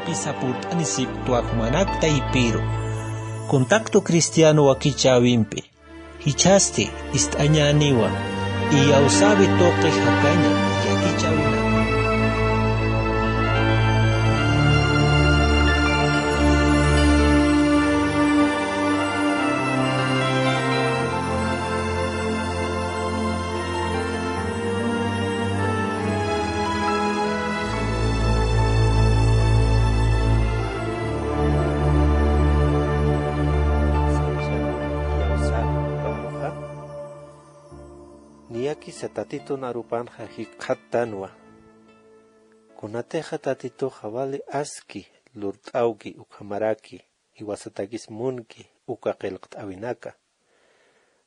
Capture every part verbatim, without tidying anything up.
Pisa purt'anisipktwa jumanak taypiru. Contacto Cristiano wakichäwimpi. Jichhasti ist'añäniwa iyawsäwi tuqi jakaña yakichäwinaka. Niyakisa Tatitun arupanxa jikxattanwa. Kunatixa Tatituxa wali aski lurt'awki ukhamaraki jiwasatakis munki uka qillqt'awinaka.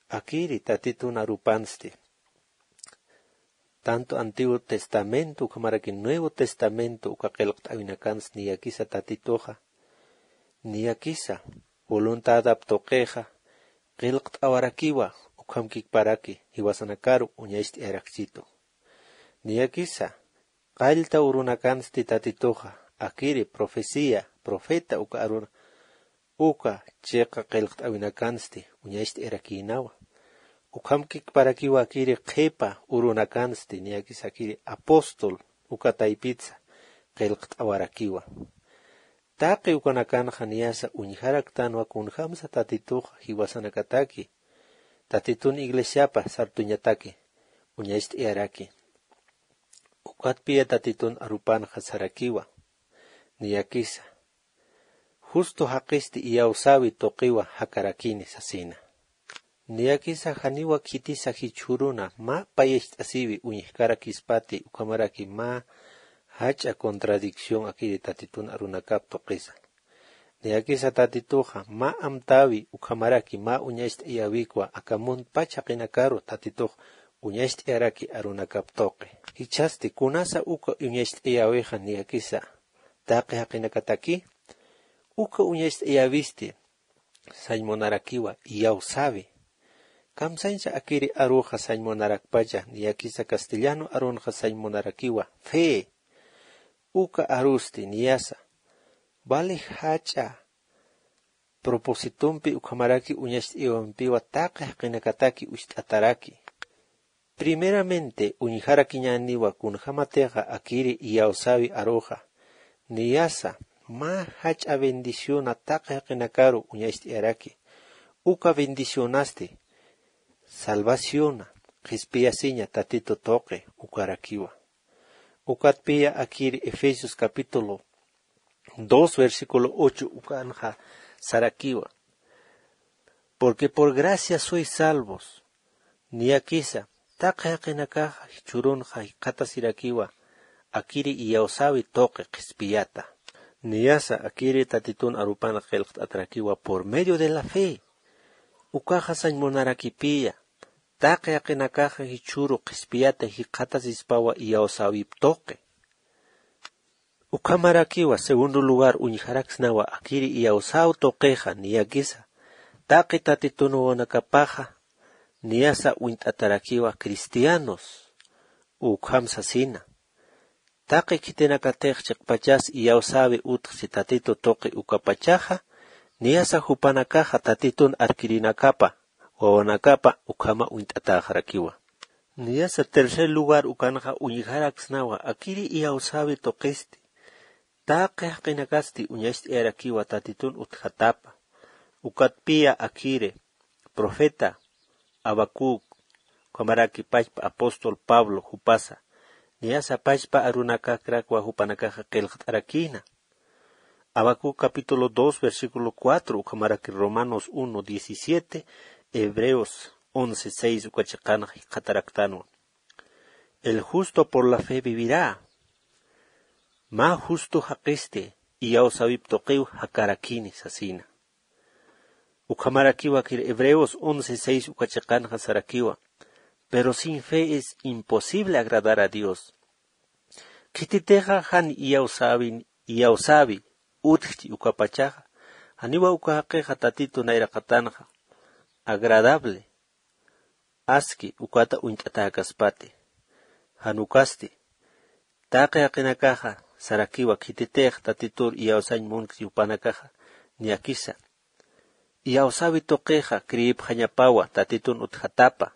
Akiri Tatitun arupansti. Tanto Antiguo Testamento ukhamaraki Nuevo Testamento uka qillqt'awinakansti niyakisa Tatituxa. Niyakisa voluntadap tuqixa qillqt'awarakiwa ukhamkikparaki jiwasanakaru uñacht'ayarakchitu. Niyakisa qallta urunakansti Tatituxa, akiri profecía, profeta uka aruna, uka chiqa qillqt'awinakansti uñacht'ayarakïnawa. Ukhamkikparakiwa akiri qhipa urunakansti, niyakisa akiri apóstol uka taypitsa qillqt'awarakiwa. Taqi ukanakanxa niyasa uñjaraktanwa kunjamsa Tatituxa jiwasanakataki, Tatitun iglesiapa sartuñataki uñacht'ayaraki. Ukatpiya Tatitun arupanxa sarakiwa, niyakisa justo jaqisti iyawsäwi tuqiwa jakarakini sasina. Niyakisa janiwa khitisa jichhüruna mä payacht'asiwi uñjkarakispati ukhamaraki mä jach'a contradicción akiri Tatitun arunakap tuqisa. Niyakisa Tatituxa mä amtäwi ukhamaraki mä uñacht'ayäwikwa aka muntpach jaqinakaru Tatitux uñacht'ayaraki arunakap tuqi. Jichhasti kunasa uka uñacht'ayäwixa niyakisa taqi jaqinakataki, uka uñacht'ayäwisti sañ munarakiwa iyawsäwi. Kamsañsa akiri aruxa sañ munarakpacha, niyakisa castellano arunxa sañ munarakiwa fe. Uka arusti niyasa wali jach'a propositompi ukhamaraki uñacht'ayäwimpiwa taqi jaqinakataki ucht'ataraki. Primeramente uñjarakiñäniwa kunjämatixa akiri iyawsäwi aruxa niyasa mä jach'a bendiciona taqi jaqinakaru uñacht'ayaraki. Uka bendicionasti salvaciona qhispiyasiña Tatitu tuqi ukarakiwa. Ukatpiya akiri Efesios capítulo dos versículo ocho ukanxa sarakiwa. Porque por gracia sois salvos. Niyakisa taqi jaqinakaxa jichhürunxa jikxatasirakiwa akiri iyawsäwi tuqi qhispiyata. Niyasa akiri Tatitun arupan qillqt'atarakiwa por medio de la fe. Ukaxa sañ munarakipiya taqi jaqinakaxa jichhüru qhispiyata jikxatasispawa iyawsäwip tuqi. Ukhamarakiwa segundo lugar uñjaraksnawa akiri iyawsäw tuqixa niyakisa taqi Tatitun wawanakapaxa niyasa uñt'atarakiwa cristianos. Ukham sasina taqi khitinakatix chiqpachas iyawsäwi utjchi Tatitu tuqi ukapachaxa niyasa jupanakaxa Tatitun arkirinakapa wawanakapa ukhama uñt'atäxarakiwa. Niyasa tercer lugar ukanxa uñjaraksnawa akiri iyawsäwi tuqisti taqi jaqinakasti uñacht'ayarakiwa Tatitun utjatapa. Ukatpiya akiri profeta Habacuc ukhamaraki pachpa apóstol Pablo jupasa niyasa pachpa arunakakrakwa jupanakaxa qillqt'arakïna. Habacuc capítulo dos versículo cuatro ukhamaraki Romanos uno diecisiete, Hebreos once seis uka chiqanxa jikxataraktanwa. El justo por la fe vivirá. Mä justo jaqisti iyawsäwip tuqiw jakarakini sasina. Ukhamarakiwa akir Hebreos once seis uka chiqanxa sarakiwa. Pero sin fe es imposible agradar a Dios. Khititixa jan iyawsäwi iyawsäwi utjchi ukapachaxa janiwa uka jaqixa Tatitu nayraqatanxa agradable aski ukata uñt'atäkaspati. Jan ukasti taqi jaqinakaxa sarakiwa khititix tatitur iyawsañ munkti jupanakaxa. Niyakisa iyawsäwi tuqixa creepxañapawa tatitun utjatapa.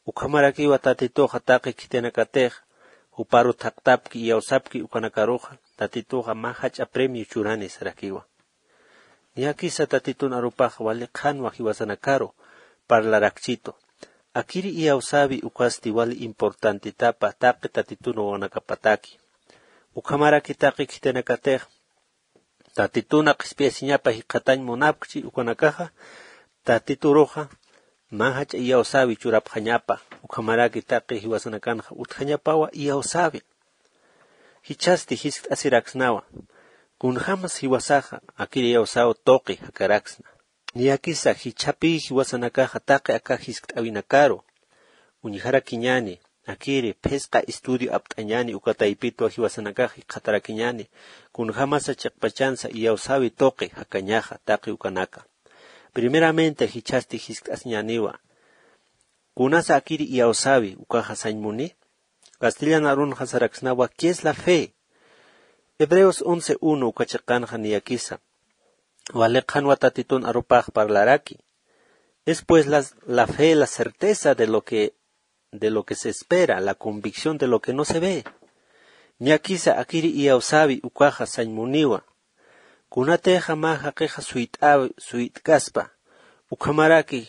Ukhamarakiwa tatituxa taqi khitinakatix juparu thaqtapki iyawsapki ukanakaruxa tatituxa mä jach'a premio churani sarakiwa. Niyakisa tatitun arupax wali qhanwa jiwasanakaru parlarakchitu. Akiri iyawsäwi ukasti wali importantetapa taqi tatitun wawanakapataki. Ukhamaraki taqi khitinakatix tatituna qhispiyasiñapa jikxatañ munapkchi ukanakaxa tatituruxa mä jach'a iyawsäwi churapxañapa. Ukhamaraki taqi jiwasanakanxa utjañapawa iyawsäwi. Jichhasti jiskt'asiraksnawa kunjämas jiwasaxa akir iyawsäw tuqi jakaraksna. Niyakisa jichhapï jiwasanakaxa taqi aka jiskt'äwinakaru uñjarakiñäni akiri phisqa estudio apt'añäni uka taypitwa jiwasanakax jikxatarakiñäni kunjämasa chiqpachansa iyawsäwi tuqi jakañaxa taqi ukanaka. Primeramente jichhasti jiskt'asiñäniwa kunasa akiri iyawsäwi ukaxa sañ muni. Castellan arunxa saraksnawa qué es la fe. Hebreos once uno uka chiqanxa niyakisa wali qhanwa tatitun arupax parlaraki. Es pues la fe la certeza de lo que de lo que se espera, la convicción de lo que no se ve. Niyakisa akiri iyawsäwi ukaxa sañ muniwa kunatixa mä jaqixa suyt'äwi suyt'kaspa ukhamaraki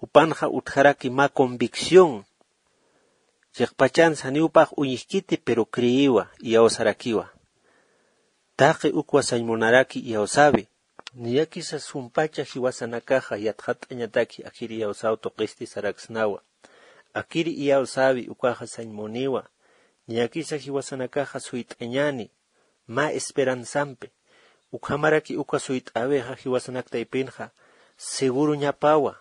jupanxa utjaraki mä convicción. Chiqpachansa janiw jupax uñjkiti pero creewa iyawsarakiwa. Taqi ukwa sañ munaraki iyawsäwi. Niyakisa sumpacha jiwasanakaxa yatxatt'añataki akir iyawsäw tuqisti saraksnawa. Akir iyawsäwi ukaxa sañ muniwa. Niyakisa jiwasanakaxa suyt'añäni mä esperanzampi. Ukhamaraki uka suyt'äwixa jiwasanak taypinxa seguroñapawa.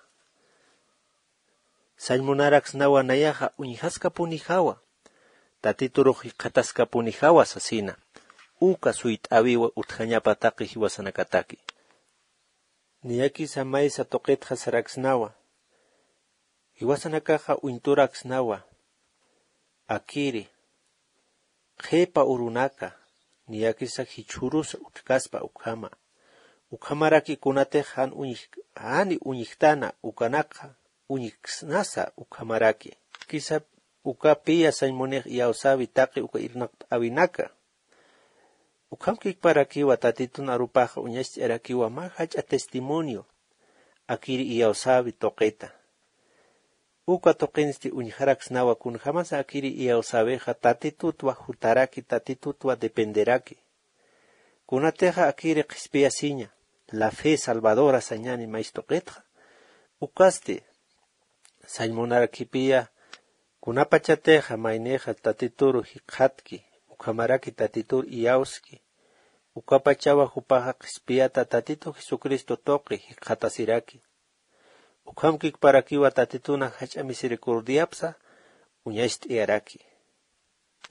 Sañ munaraksnawa nayaxa uñjaskapunijawa tatiturux jikxataskapunijawa sasina. Uka suyt'äwiwa utjañapa taqi jiwasanakataki. Niyakisa maysa tuqitxa saraksnawa jiwasanakaxa uñturaksnawa akiri qhipa urunaka. Niyakisa jichhürusa utjkaspa ukhama ukhamaraki kunatix jan uñj jani uñjtana ukanakxa uñjksnasa ukhamaraki. Kisa ukapiya sañ munix iyawsäwi taqi uka irnaqt'äwinaka. Ukhamkikparakiwa tatitun arupaxa uñacht'ayarakiwa mä jach'a testimonio akiri iyawsäwi tuqita. Uka tuqinsti uñjaraksnawa kunjämasa akiri iyawsäwixa tatitutwa jutaraki tatitutwa dependeraki. Kunatixa akiri qhispiyasiña la fe salvadora sañani maystuqitxa ukasti sañ munarakipiya. Kunapachatixa maynixa tatituru jikxatki ukhamaraki tatitur iyawski ukapachawa jupaxa qhispiyata tatitu jesucristo tuqi jikxatasiraki. Ukhamkikparakiwa tatituna jach'a misericordiapsa uñacht'ayaraki.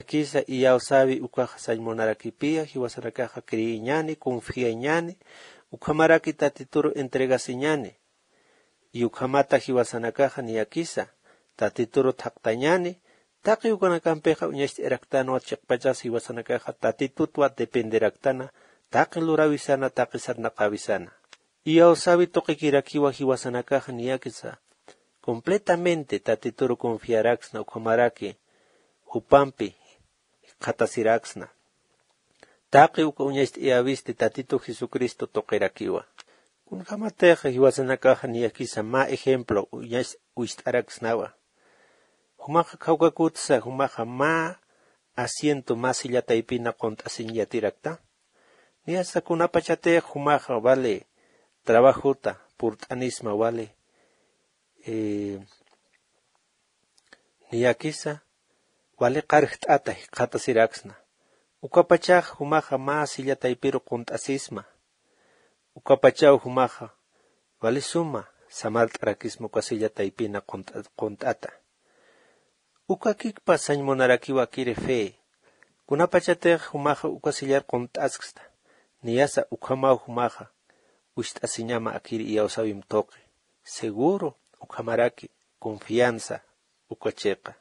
Akisa iyawsäwi ukaxa sañ munarakipiya jiwasanakaxa creeñani confiañani ukhamaraki tatituru entregasiñani. Y ukhamata jiwasanakaxa niyakisa tatituru thaqtañani. Taqi ukanakampixa uñacht'ayaraktanwa chiqpachas jiwasanakaxa tatitutwa dependeraktana taqi luräwisana taqi sarnaqäwisana. Iyawsäwi tuqikirakiwa jiwasanakaxa niyakisa completamente tatituru confiaraksna ukhamaraki jupampi jikxatasiraksna. Taqi uka uñacht'ayäwisti tatitu jesucristo tuqirakiwa. Kunjämatix jiwasanakaxa niyakisa mä ejemplo uñacht'araksnawa. Jumaxa khawkakutsa jumaxa mä asiento mä silla taypina qunt'asiñ yatirakta. Niyasa kunapachatix jumaxa vale trabajota purt'anisma vale niyakisa vale qarjt'ata jikxatasiraksna. Ukapachax jumaxa mä silla taypiru qunt'asisma. Ukapachaw jumaxa vale suma samart'arakisma uka silla taypina qunt'ata. Ukakikpa sañ munarakiwa akiri fe. Kunapachatix jumaxa uka sillar qunt'asksta niyasa ukhamaw jumaxa wist'asiñama akiri iyawsäwim tuqi. Seguro ukhamaraki confianza uka chiqa.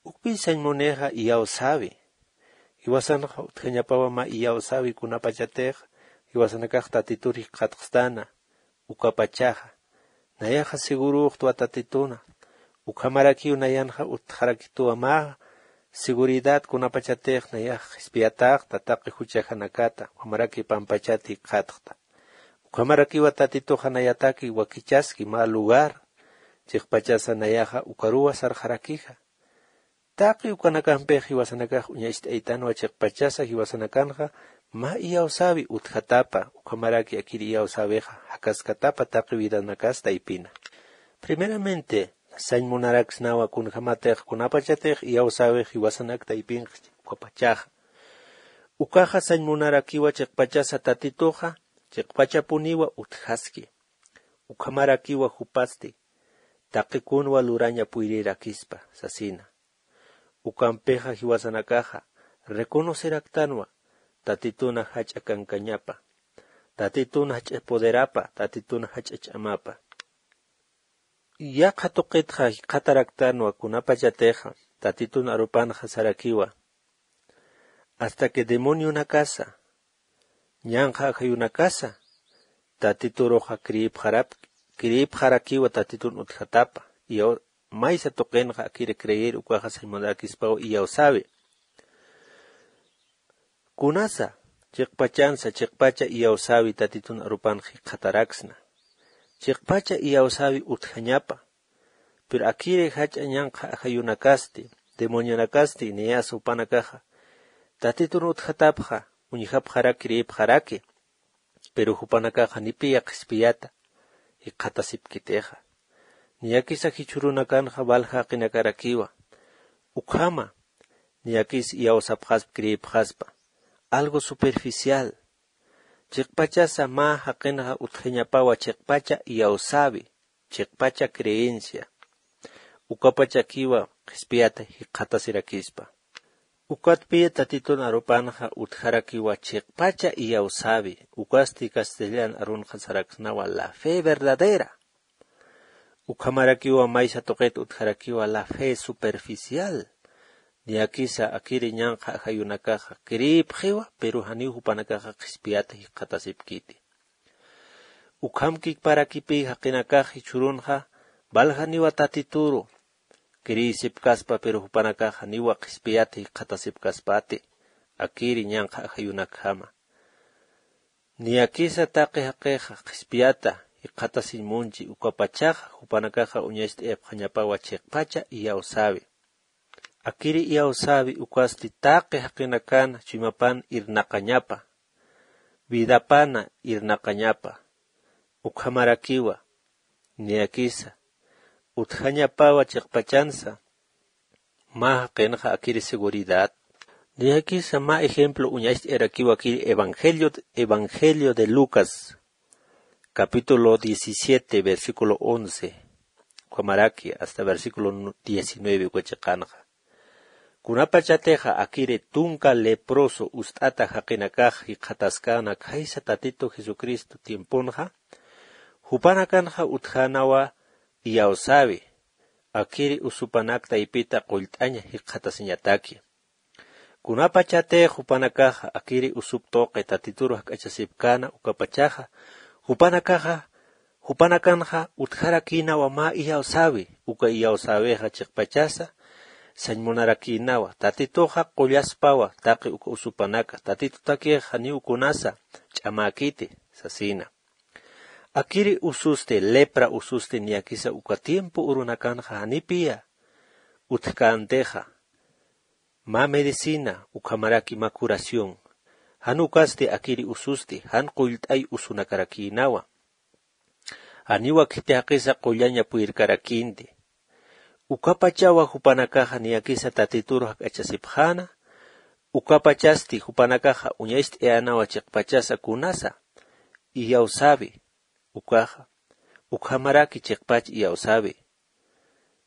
Ukpï sañ munixa iyawsäwi. Jiwasanxa utjañapawa mä iyawsäwi kunapachatix jiwasanakax Tatitur jikxatxstana. Ukapachaxa nayaxa segurüxtwa Tatituna. Ukhamarakiw nayanxa utjarakituwa mä seguridad kunapachatix nayax qhispiyatäxta taqi juchajanakata ukhamaraki pampachat jikxatxta. Ukhamarakiwa Tatituxa nayataki wakichaski mä lugar chiqpachasa nayaxa ukaruwa sarxarakixa. Taqi ukanakampix jiwasanakax uñacht'aytanwa chiqpachasa jiwasanakanxa mä iyawsäwi utjatapa ukhamaraki akir iyawsäwixa jakaskatapa taqi vidanakas taypina. Primeramente sañ munaraksnawa kunjämatix kunapachatix iyawsäwix jiwasanak taypinxa ukapachaxa. Ukaxa sañ munarakiwa chiqpachasa Tatituxa chiqpachapuniwa utjaski. Ukhamarakiwa jupasti taqi kunwa luraña puyrirakispa sasina. Ukampixa jiwasanakaxa reconoceraktanwa Tatituna jach'a kankañapa, Tatituna jach'a poderapa, Tatituna jach'a ch'amapa. Yaqha tuqitxa jikxataraktanwa kunapachatixa Tatitun arupanxa sarakiwa hasta que demonionakasa ñanqha ajayunakasa Tatituruxa creepxarap creepxarakiwa Tatitun utjatapa. Maysa tuqinxa akiri creer ukaxa sañ munarakispaw iyawsäwi. Kunasa chiqpachansa chiqpacha iyawsäwi Tatitun arupan jikxataraksna. Chiqpacha iyawsäwi utjañapa. Pero akiri jach'a ñanqha ajayunakasti demonionakasti niyasa jupanakaxa Tatitun utjatapxa uñjapxarak creepxaraki. Pero jupanakaxa nipiya qhispiyata jikxatasipkitixa. Niyakisa jichhürunakanxa valja jaqinakarakiwa. Ukhama niyakis iyawsapxaspa creepxaspa algo superficial. Chiqpachasa mä jaqinxa utjañapawa chiqpacha iyawsäwi chiqpacha creencia. Ukapachakiwa qhispiyata jikxatasirakispa. Ukatpiya Tatitun arupanxa utjarakiwa chiqpacha iyawsäwi ukasti castellan arunxa saraksnawa la fe verdadera. Ukhamarakiwa maysa tuqit utjarakiwa la fe superficial. Niyakisa akiri ñanqha ajayunakaxa creepxiwa pero janiw jupanakaxa qhispiyata jikxatasipkiti. Ukham kikparakipï jaqinakax jichhürunxa valjaniwa Tatituru creesipkaspa pero jupanakax janiwa qhispiyata jikxatasipkaspati akiri ñanqha ajayunakjama. Niyakisa taqi jaqixa qhispiyata jikxatasiñ munchi ukapachaxa jupanakaxa uñacht'ayapxañapawa chiqpacha iyawsäwi. Akiri iyawsäwi ukasti taqi jaqinakana chuymapan irnaqañapa vidapana irnaqañapa. Ukhamarakiwa niyakisa utjañapawa chiqpachansa mä jaqinxa akiri seguridad. Niyakisa mä ejemplo uñacht'ayarakiwa akiri evangelio de lucas capítulo diecisiete versículo once ukhamaraki hasta versículo diecinueve uka chiqanxa. Kunapachatixa akiri tunka leproso ust'ata jaqinakax jikxataskäna khaysa Tatitu Jesucristo tiemponxa jupanakanxa utjänawa iyawsäwi. Akiri usupanak taypita qullt'aña jikxatasiñataki. Kunapachatix jupanakaxa akiri usup tuqi Tatituru jak'achasipkäna ukapachaxa jupanakaxa jupanakanxa utjarakïnawa mä iyawsäwi uka iyawsäwixa chiqpachasa sañ munarakïnawa Tatituxa qullaspawa taqi uka usupanaka Tatitutakix janiw kunasa ch'amäkiti sasïna. Akiri ususti lepra ususti niyakisa uka tiempo urunakanxa janipiya utjkäntixa mä medicina ukhamaraki mä curación. Jan ukasti akiri ususti jan qullt'ay usunakarakïnawa. Janiwa khiti jaqisa qullaña puyirkarakïnti. Ukapachawa jupanakaxa niyakisa Tatitur jak'achasipxäna. Ukapachasti jupanakaxa uñacht'ayänawa chiqpachasa kunasa iyawsäwi ukaxa ukhamaraki chiqpach iyawsäwi.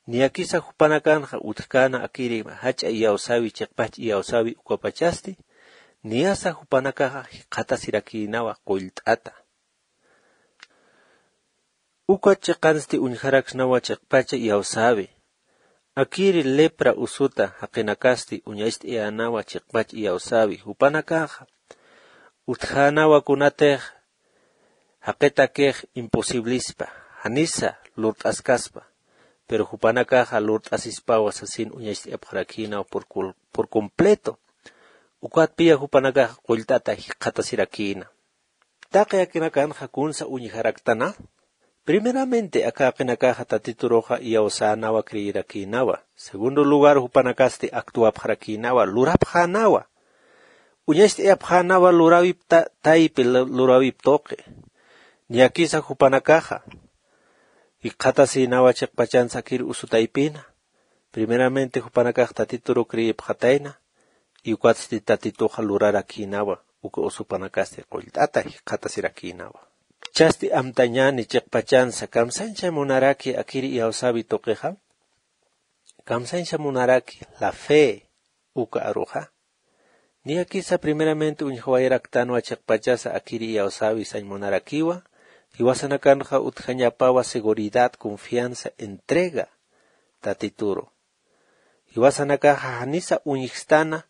Niyakisa jupanakanxa utjkäna akiri jach'a iyawsäwi chiqpach iyawsäwi ukapachasti niyasa jupanakaxa jikxatasirakïnawa qullt'ata. Uka chiqansti uñjaraksnawa chiqpacha iyawsäwi. Akiri lepra usuta jaqinakasti uñacht'ayänawa chiqpach iyawsäwi jupanakaxa utjänawa kunatix jaqitakix imposiblispa janisa lurt'askaspa. Pero jupanakaxa lurt'asispawa sasin uñacht'ayapxarakïnawa por completo. Ukatpiya jupanakaxa qullt'ata jikxatasirakïna. Taqi jaqinakanxa kunsa uñjaraktana? Primeramente aka jaqinakaxa tatituruxa iyawsänawa creerakïnawa. Segundo lugar jupanakasti actuapxarakïnawa lurapxänawa. Uñacht'ayapxänawa luräwip taypi luräwip tuqi. Niyakisa jupanakaxa jikxatasïnawa chiqpachansa akir usu taypina. Primeramente jupanakax tatituru creepxatayna. Y ukatsti tatituxa lurarakïnawa uka usupanakasti qullt'ata jikxatasirakïnawa. Chasti amtañäni chiqpachansa kamsañcha munaraki akiri iyawsäwi tuqixa? Kamsañcha munaraki la fe uka aruxa? Niyakisa primeramente uñjawayaraktanwa chiqpachasa akiri iyawsäwi sañ munarakiwa. Jiwasanakanxa utjañapawa seguridad, confianza, entrega tatituru. Jiwasanakaxa janisa uñjstana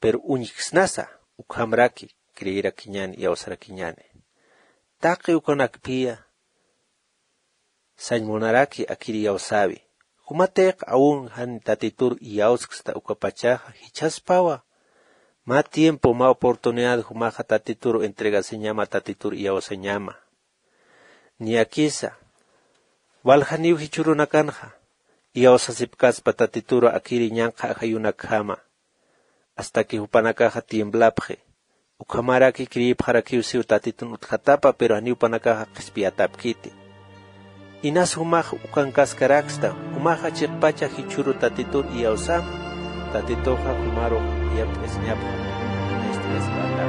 pero uñjksnasa ukhamraki creerakiñäni iyawsarakiñäni. Taqi ukanakpiya sañ munaraki akir iyawsäwi. Jumatix aun jan tatitur iyawsksta ukapachaxa jichhaspawa mä tiempo mä oportunidad jumaxa tatitur entregasiñama tatitur iyawsañama. Niyakisa waljaniw jichhürunakanxa iyawsasipkaspa tatituru akiri ñanqha ajayunakjama. Astaki jupanakaxa tiemblapxi. Ukhamaraki creepxarakiw siw tatitun utjatapa pero janiw jupanakaxa qhispiyatapkiti. Inas jumax ukankaskaraksta jumaxa chiqpacha jichhüru tatitur iyawsama. Tatituxa jumarux yapt'asiñapxa. Ist'iyasmata.